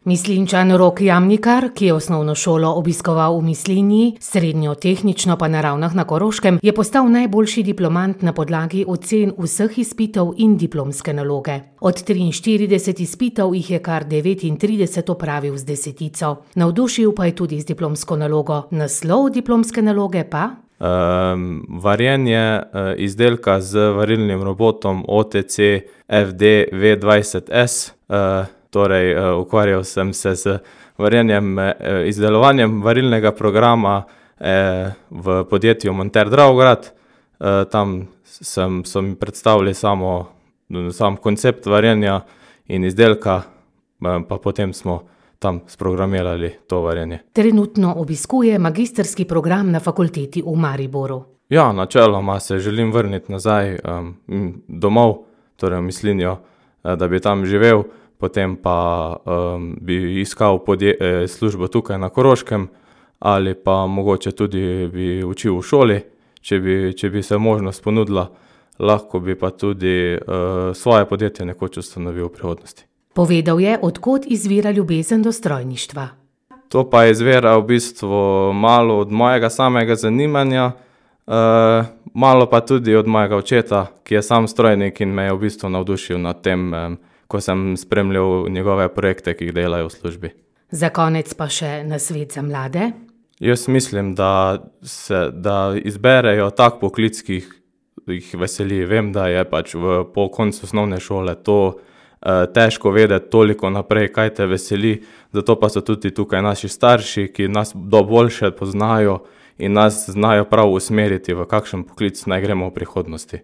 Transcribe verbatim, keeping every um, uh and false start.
Mislinjčan Rok Jamnikar, ki je osnovno šolo obiskoval v Mislinji, srednjo tehnično pa na Ravnah na Koroškem, je postal najboljši diplomant na podlagi ocen vseh izpitov in diplomske naloge. Od triinštirideset izpitov jih je kar devetintrideset opravil z desetico. Navdušil pa je tudi z diplomsko nalogo. Naslov diplomske naloge pa? Um, varjenje uh, izdelka z varilnim robotom O T C F D V dvajset S. Uh, Torej, ukvarjal sem se z varjenjem, izdelovanjem varilnega programa v podjetju Monter Dravograd. Tam sem, so mi predstavili samo, sam koncept varjenja in izdelka, pa potem smo tam sprogramirali to varjenje. Trenutno obiskuje magistrski program na fakulteti v Mariboru. Ja, načeloma se želim vrniti nazaj um, domov, torej v Mislinjo, da bi tam živel. Potem pa um, bi iskal podje, eh, službo tukaj na Koroškem ali pa mogoče tudi bi učil v šoli, če bi, če bi se možnost ponudila, lahko bi pa tudi uh, svoje podjetje nekoč ustanovil v prihodnosti. Povedal je, od kod izvira ljubezen do strojništva. To pa izvira v bistvu malo od mojega samega zanimanja, uh, malo pa tudi od mojega očeta, ki je sam strojnik in me je v bistvu navdušil nad tem, um, ko sem spremljal njegove projekte, ki jih delajo v službi. Za konec pa še nasvet za mlade? Jaz mislim, da, se, da izberejo tak poklic, ki jih, jih veseli. Vem, da je pač v, po koncu osnovne šole to eh, težko vedeti toliko naprej, kaj te veseli. Zato pa so tudi tukaj naši starši, ki nas do boljše poznajo in nas znajo prav usmeriti, v kakšen poklic naj gremo v prihodnosti.